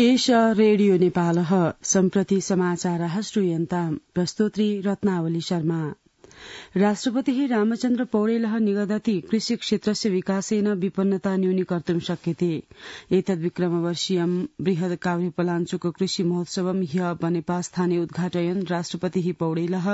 एषा रेडियो नेपालः सम्प्रति समाचारः श्रूयन्ताम् प्रस्तोत्री रत्नावली शर्मा। राष्ट्रपतिः रामचन्द्र पौडेलः निगदति कृषि क्षेत्रस्य विकासेन विपन्नता न्यूनीकर्तुं शक्यते। एतद्विक्रमवर्षीयं बृहद् काभ्रेपलाञ्चोक कृषि महोत्सवं ह्य बनेपास्थाने उद्घाटयन् राष्ट्रपतिः पौडेलः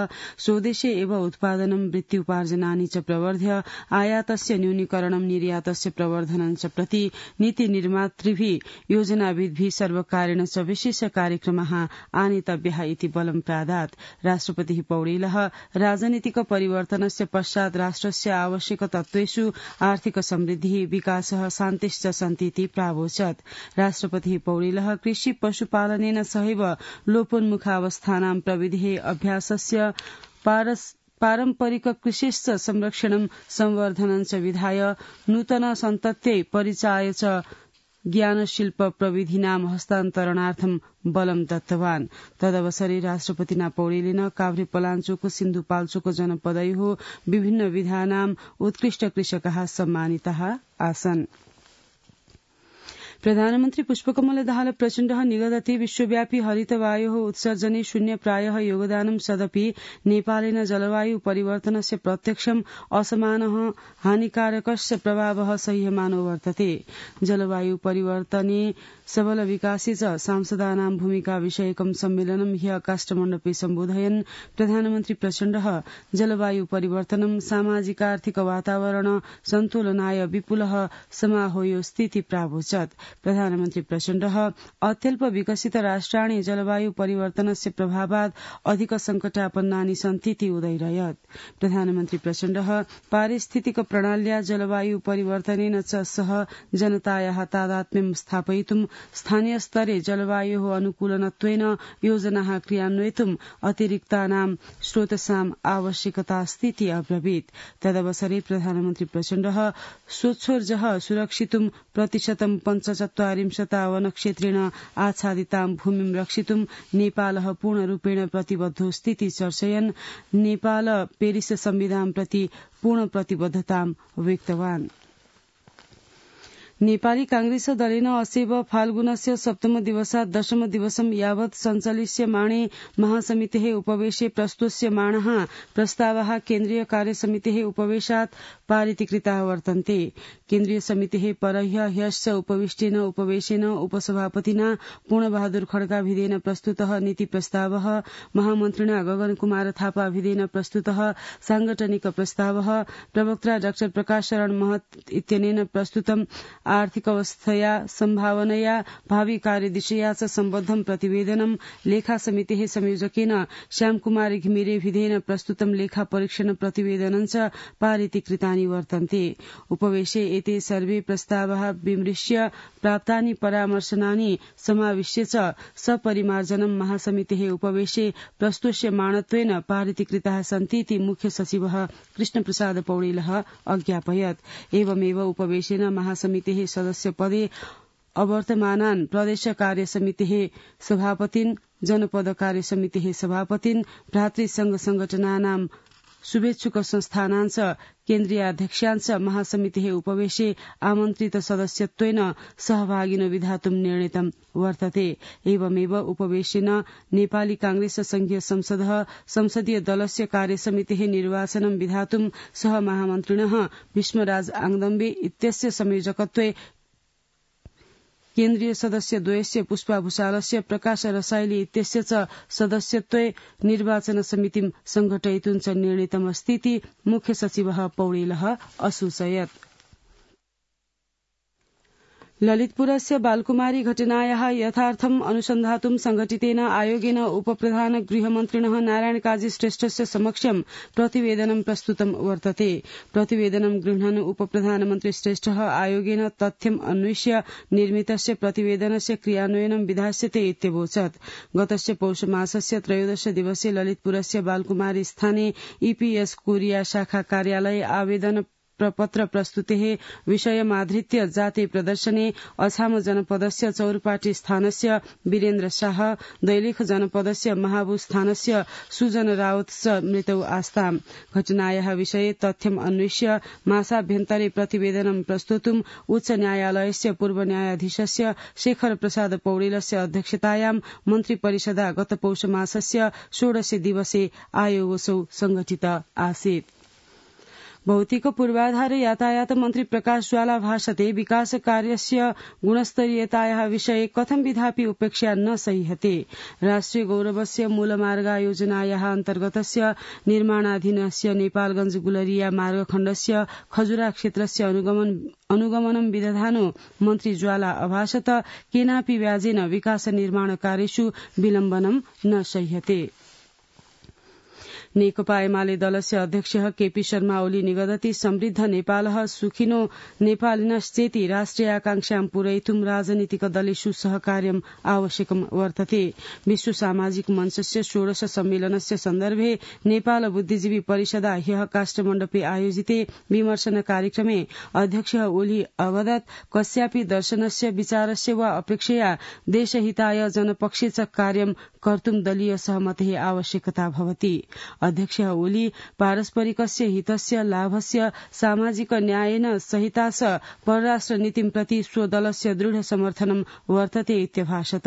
स्वदेशे एव उत्पादनं वृत्त्युपार्जनानि च प्रवर्ध्य आयातस्य न्यूनीकरणं निर्यातस्य प्रवर्धनं च प्रति नीति निर्मातृभिः योजनाविद्भिः सर्वकारेण च विशेष कार्यक्रमः आनेतव्यः इति बलं प्रादात्। राष्ट्रपतिः पौडेलः राजनीतिक परिवर्तनस्य पश्चात् राष्ट्रस्य आवश्यक तत्त्वेषु आर्थिक समृद्धिः विकासः शान्तिश्च सन्तीति प्रावोचत्। राष्ट्रपतिः पौडेलः कृषि पशुपालनेन सहैव लोपोन्मुखावस्थानां प्रविधिः अभ्यासस्य पारम्परिक कृषिश्च संरक्षणं संवर्धनं च विधाय नूतन सन्तत्यै परिचाय च ज्ञानशिल्प प्रविधीनां हस्तान्तरणार्थं बलं दत्तवान्। तदवसरे राष्ट्रपतिना पौडेलेन काभ्रेपलाञ्चोक सिन्धुपाल्चोक जनपदयोः विभिन्न विधानां उत्कृष्ट कृषकाः सम्मानिताः आसन्। प्रधानमन्त्री पुष्पकमल दाहाल प्रचण्डः निगदति विश्वव्यापी हरितवायोः उत्सर्जने शून्य प्रायः योगदानं सदपि नेपालेन जलवायु परिवर्तनस्य प्रत्यक्षम् असमानः हानिकारकस्य प्रभावः सह्यमानो वर्तते। जलवायु परिवर्तने सबल विकासे च सांसदानां भूमिका विषयकं सम्मेलनं ह्य काष्ठमण्डपे सम्बोधयन् प्रधानमन्त्री प्रचण्डः जलवायु परिवर्तनं सामाजिकार्थिक वातावरण सन्तुलनाय विपुलः समाहोयोऽस्तीति प्रावोचत्। प्रधानमन्त्री प्रचण्डः अत्यल्प विकसित राष्ट्राणि जलवायु परिवर्तनस्य प्रभावात् अधिक संकटापन्नानि सन्तीति उदैरयत्। प्रधानमन्त्री प्रचण्डः पारिस्थितिक प्रणाल्या जलवायु परिवर्तनेन च सह जनतायाः तादात्म्यं स्थापयितुं स्थानीय स्तरे जलवायोः अनुकूलनत्वेन योजनाः क्रियान्वयितुं अतिरिक्तानां स्रोतसाम् आवश्यकतास्तीति अब्रवीत्। तदवसरे प्रधानमन्त्री प्रचण्डः स्वच्छोर्जः सुरक्षितुं प्रतिशतं 45 वनक्षेत्रेण आच्छादितां भूमिं रक्षितुं नेपालः पूर्णरूपेण प्रतिबद्धोऽस्तीति चर्चयन् नेपाल पेरिस संविधान प्रति पूर्ण प्रतिबद्धतां व्यक्तवान्। नेपाली कांग्रेस दलेन असेव फाल्गुनस्य सप्तम दिवसात् दशम दिवसं यावत् सञ्चलिष्यमाणे महासमितेः उपवेशे प्रस्तुष्यमाणः प्रस्तावः केन्द्रीय कार्यसमितेः उपवेशात् पारितीकृताः वर्तन्ते। केन्द्रीय समितेः परह्य ह्यश्च उपविष्टेन उपवेशेन उपसभापतिना पूर्णबहादुर खड्काभिधेन प्रस्तुतः नीति प्रस्तावः, महामन्त्रिणा गगन कुमार थापाभिधेन प्रस्तुतः सांगठनिक प्रस्तावः, प्रवक्ता डाक्टर प्रकाश शरण महत इत्यनेन प्रस्तुतम् आर्थिक अवस्थया सम्भावनया भावी कार्यदिशया च सम्बद्धं प्रतिवेदनं, लेखा समितेः संयोजकेन श्यामकुमार घिमिरेभिधेन प्रस्तुतं लेखा परीक्षण प्रतिवेदनं च पारितीकृतानि वर्तन्ते। उपवेशे एते सर्वे प्रस्तावाः विमृश्य प्राप्तानि परामर्शनानि समाविश्य च सपरिमार्जनं महासमितेः उपवेशे प्रस्तुष्यमाणत्वेन पारितीकृताः सन्तीति मुख्य सचिवः कृष्णप्रसाद पौडेलः अज्ञापयत्। एवमेव उपवेशेन महासमितेः सदस्य पदे अवर्तमानान् प्रदेश कार्यसमितेः सभापतिन्, जनपद कार्यसमितेः सभापतिन्, भ्रातृसंघ संगठनानां शुभेच्छुक संस्थानांच केन्द्रीयाध्यक्षांच महासमितेः उपवेशे आमन्त्रित सदस्यत्वेन सहभागिनो विधातुं निर्णीतं वर्तते। एवमेव उपवेशेन नेपाली कांग्रेस संघीय संसदः संसदीय दलस्य कार्यसमितेः निर्वाचनं विधातुं सह महामन्त्रिणः भीष्मराज आङदम्बे इत्यस्य संयोजकत्वे केन्द्रीय सदस्य द्वयस्य पुष्पा भूषालस्य, प्रकाश रसाइली इत्यस्य च सदस्यत्वे निर्वाचन समितिं संघटयितुं च निर्णीतमस्तीति मुख्य सचिवः पौडेलः असूचयत्। ललितपुरस्य बालकुमारी घटनायाः यथार्थम् अनुसन्धातुं संघटितेन आयोगेन उपप्रधान गृहमन्त्रिणः नारायण काजी श्रेष्ठस्य समक्षं प्रतिवेदनं प्रस्तुतं वर्तते। प्रतिवेदनं गृह्णन् उपप्रधानमन्त्री श्रेष्ठः आयोगेन तथ्यम् अन्विष्य निर्मितस्य प्रतिवेदनस्य क्रियान्वयनं विधास्यते इत्यवोचत्। गतस्य पौषमासस्य 13 दिवसे ललितपुरस्य बालकुमारी स्थाने ईपीएस कोरिया शाखा कार्यालये आवेदन प्रपत्र प्रस्तुतेः विषयमाधृत्य जाते प्रदर्शने अछाम जनपदस्य चौरपाटी स्थानस्य वीरेन्द्र शाह दैलेख जनपदस्य महाबु स्थानस्य सुजन रावत च मृतौ आस्ताम् घटनायाः विषये तथ्यम् अन्वेष्य मासाभ्यन्तरे प्रतिवेदनं प्रस्तुतुम् उच्च न्यायालयस्य पूर्व न्यायाधीशस्य शेखर प्रसाद पौडेलस्य अध्यक्षतायां मन्त्रिपरिषदा गत पौष मासस्य 16 दिवसे आयोगसौ संघटित आसीत्। भौतिक पूर्वाधार यातायात मन्त्री प्रकाश ज्वाला भाषते विकास कार्यस्य गुणस्तरीयतायाः विषये कथं विधापि उपेक्षा न सह्यते। राष्ट्रिय गौरवस्य मूलमार्गयोजनायाः अन्तर्गतस्य निर्माणाधीनस्य नेपालगंज गुलरिया मार्गखण्डस्य खजुरा क्षेत्रस्य अनुगमनं विदधानो मन्त्री ज्वाला अभाषत केनापि व्याजेन विकास निर्माण कार्येषु विलम्बनं न सह्यते। नेकपा एमाले दलस्य अध्यक्षः केपी शर्मा ओली निगदति समृद्ध नेपालः सुखिनो नेपालिनश्चेति राष्ट्रिय आकांक्षां पूरयितुं राजनीतिकदलेषु सहकार्यम् आवश्यकं वर्तते। विश्व सामाजिक मञ्चस्य 16 सम्मेलनस्य सन्दर्भे नेपाल बुद्धिजीवी परिषदा ह्यः काष्ठमण्डपे आयोजिते विमर्शन कार्यक्रमे अध्यक्षः ओली अवदत् कस्यापि दर्शनस्य विचारस्य वा अपेक्षया देशहिताय जनपक्षे च कार्यं कर्तुं दलीय सहमतेः आवश्यकता भवति। अध्यक्षः ओली पारस्परिकस्य हितस्य लाभस्य सामाजिक न्यायेन सहिता च परराष्ट्र नीतिं प्रति स्वदलस्य दृढ समर्थनं वर्तते इत्यभाषत।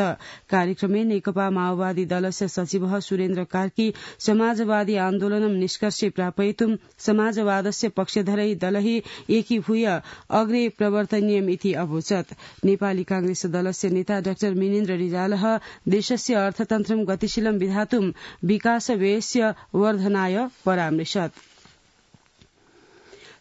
कार्यक्रमे नेकपा माओवादी दलस्य सचिवः सुरेन्द्र कार्की समाजवादी आन्दोलनं निष्कर्षे प्रापयितुं समाजवादस्य पक्षधरै दलैः एकीभूय अग्रे प्रवर्तनीयम् इति अवोचत्। नेपाली कांग्रेस दलस्य नेता डाक्टर मिनेन्द्र रिजालः देशस्य अर्थतन्त्रं गतिशीलं विधातुं विकास व्ययस्य वर्धनाय परामृशत्।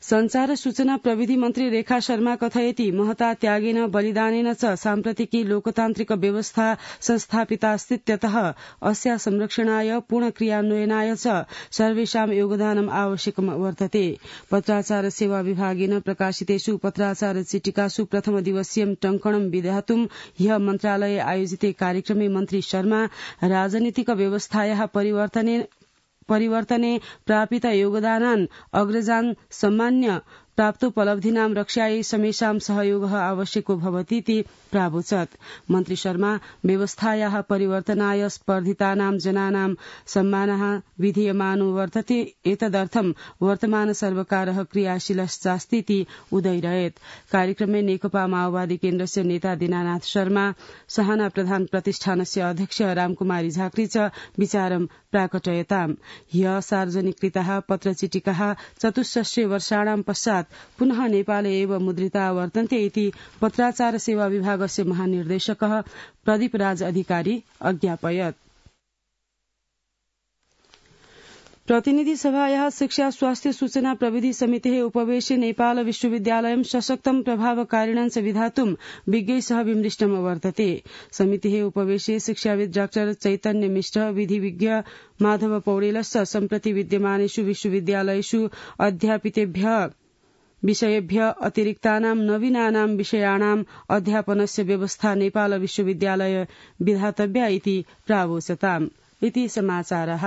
संचार सूचना प्रविधि मन्त्री रेखा शर्मा कथयति महता त्यागेन बलिदानेन च साम्प्रतिकी लोकतान्त्रिक व्यवस्था संस्थापितास्तीत्यतः अस्या संरक्षणाय पूर्ण क्रियान्वयनाय च सर्वेषां योगदानम् आवश्यकं वर्तते। पत्राचार सेवा विभागेन प्रकाशितेषु पत्राचार चिटिकासु प्रथम दिवसीयं टङ्कणं विधातुं ह्यः मन्त्रालये आयोजिते कार्यक्रमे मन्त्री शर्मा राजनीतिक व्यवस्थायाः परिवर्तने प्रापित योगदानान् अग्रजान् सम्मान्य प्राप्तोपलब्धीनां रक्षायै समेषां सहयोगः आवश्यको भवतीति प्रावोचत्। मन्त्री शर्मा व्यवस्थायाः परिवर्तनाय स्पर्धितानां जनानां सम्मानः विधीयमानो वर्तते एतदर्थं वर्तमान सर्वकारः क्रियाशीलश्चास्तीति उदयरयेत्। कार्यक्रमे नेकपा माओवादी केन्द्रस्य नेता दीनानाथ शर्मा सहाना प्रधान प्रतिष्ठानस्य अध्यक्ष रामकुमारी झाँक्री च विचारं प्राकटयताम्। ह्यः सार्वजनिकृताः पत्रचिटिकाः 64 वर्षाणां पश्चात् पुनः नेपाले एव मुद्रिता वर्तन्ते इति पत्राचार सेवा विभागस्य महानिर्देशकः प्रदीप राज अधिकारी अज्ञापयत्। प्रतिनिधि सभायाः शिक्षा स्वास्थ्य सूचना प्रविधि समितेः उपवेशे नेपाल विश्वविद्यालयं सशक्तं प्रभावकारिणं च विधातुं विज्ञैः सह विमृष्टं वर्तते। समितेः उपवेशे शिक्षाविद डाक्टर चैतन्य मिश्र विधिविज्ञ माधव पौडेलश्च सम्प्रति विद्यमानेषु विश्वविद्यालयेषु अध्यापितेभ्यः विषयेभ्य अतिरिक्तानां नवीनानां विषयाणाम् अध्यापनस्य व्यवस्था नेपाल विश्वविद्यालय विधातव्या इति प्रावोचताम् इति समाचारः।